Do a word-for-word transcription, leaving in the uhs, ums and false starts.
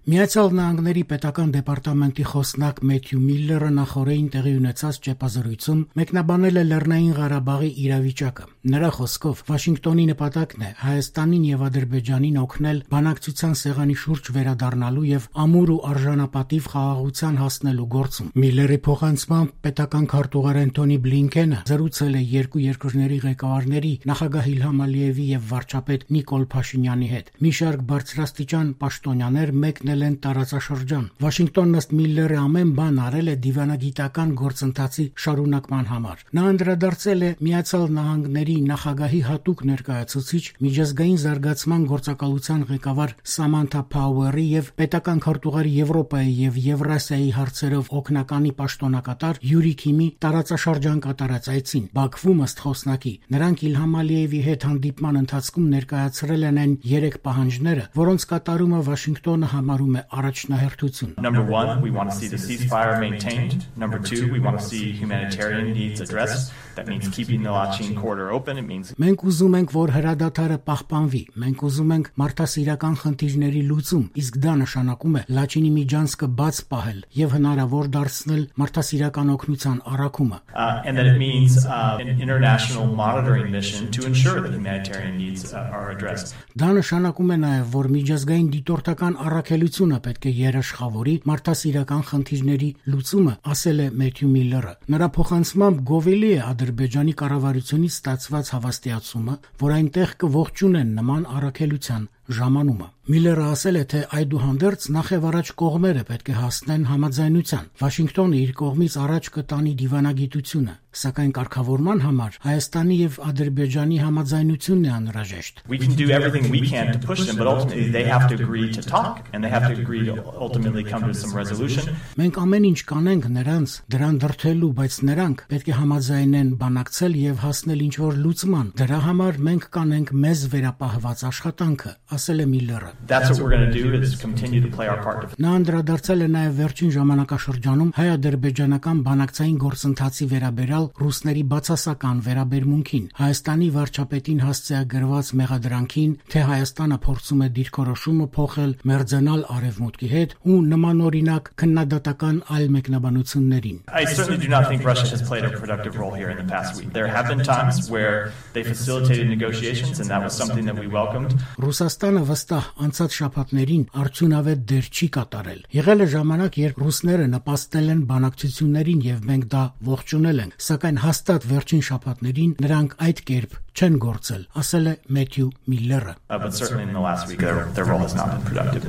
Միացյալ Նահանգների պետական դեպարտամենտի խոսնակ Մեթյու Միլլերը նախորդին տեղի ունեցած ճեպազրույցում մեկնաբանել է Լեռնային Ղարաբաղի իրավիճակը։ Նրա խոսքով Վաշինգտոնի նպատակն է Հայաստանին եւ Ադրբեջանին օգնել բանակցության սեղանի շուրջ վերադառնալու եւ ամուր ու արժանապատիվ խաղաղության հասնելու գործում։ Միլլերի փոխանցմամբ պետական քարտուղար Անթոնի Բլինքենը զրուցել է երկու երկրների ղեկավարների նախագահ Իլհամ Ալիևի եւ վարչապետ Նիկոլ Փաշինյանի հետ։ Մի շարք բարձրաստիճան պաշտոնյաներ մեկնել են տարածաշրջան։ Վաշինգտոնն ըստ Միլլերի ամեն բան արել է դիվանագիտական գործընթացի շարունակման համար։ Նա անդրադարձել է Միացյալ Նահանգների նախագահի հատուկ ներկայացուցիչ միջազգային զարգացման գործակալության ղեկավար Սամանթա Փաուերի եւ պետական քարտուղարի Եվրոպայի եւ Եվրասիայի հարցերով օգնականի պաշտոնակատար Յուրի Քիմի տարածաշրջան կատարած այցին։ Բաքվում ըստ խոսնակի նրանք Իլհամ Ալիևի հետ հանդիպման ընթացքում ներկայացրել են այն երեք պահանջները, որոնց կատարումը Վաշինգտոնը համարում է առաջնահերթություն։ Number one, we want to see the ceasefire maintained. Number two, we want to see humanitarian needs addressed. That means keeping the Lachin corridor open. It means Մենք ուզում ենք, որ հրադադարը պահպանվի։ Մենք ուզում ենք մարդասիրական խնդիրների լուծում, իսկ դա նշանակում է Լաչինի միջանցքը բաց պահել եւ հնարավոր դարձնել մարդասիրական օգնության առաքումը։ Uh, and that it means uh, an international monitoring mission to ensure that humanitarian needs uh, are addressed. Դա նշանակում է նաեւ, որ միջազգային դիտորդական առաքելությունը պետք է երաշխավորի մարդասիրական խնդիրների լուծումը, ասել է Մեթյու Միլլերը։ Նրա փոխանցմամբ գովելի է Ադրբեջանի կառավարությունից ստացված հավաստիացումը, որ այնտեղ կողջունեն նման առաքելության ժամանումը։ Միլլերը ասել է, թե այդուհանդերձ նախևառաջ կողմերը պետք է հասնեն համաձայնության։ Վաշինգտոնը իր կողմից առաջ կտանի դիվանագիտությունը, սակայն կարգավորման համար Հայաստանի եւ Ադրբեջանի համաձայնությունն է անհրաժեշտ։ We can do everything we can to push them, but ultimately they have to agree to talk and they have to agree to ultimately come to some resolution. Մենք ամեն ինչ կանենք նրանց դրան դրթելու, բայց նրանք պետք է համաձայնեն բանակցել եւ հասնել ինչ-որ լուծման։ Դրա համար մենք կանենք մեզ վերապահված աշխատանքը, ասել է Միլլերը։ That's what we're going to do is continue to play our part. Նա անդրադարձել է նաև վերջին ժամանակաշրջանում հայ-ադրբեջանական բանակցային գործընթացի վերաբերյալ ռուսների բացասական վերաբերմունքին, Հայաստանի վարչապետին հասցեագրված մեղադրանքին, թե Հայաստանը փորձում է դիրքորոշումը փոխել մերձենալ արևմուտքի հետ ու նմանօրինակ քննադատական այլ մեկնաբանություններին։ I certainly do not think Russia has played a productive role here in the past week. There have been times where they facilitated negotiations and that was something that we welcomed. Ռուսաստանը վստահ անցած շաբաթներին արդյունավետ դեր չի կատարել։ Եղել է ժամանակ, երբ ռուսները նպաստել են բանակցություններին եւ մենք դա ողջունել ենք, սակայն հաստատ վերջին շաբաթներին նրանք այդ կերպ չեն գործել, ասել է Մեթյու Միլլերը։ Uh, but certainly in the last week their, their role has not been productive.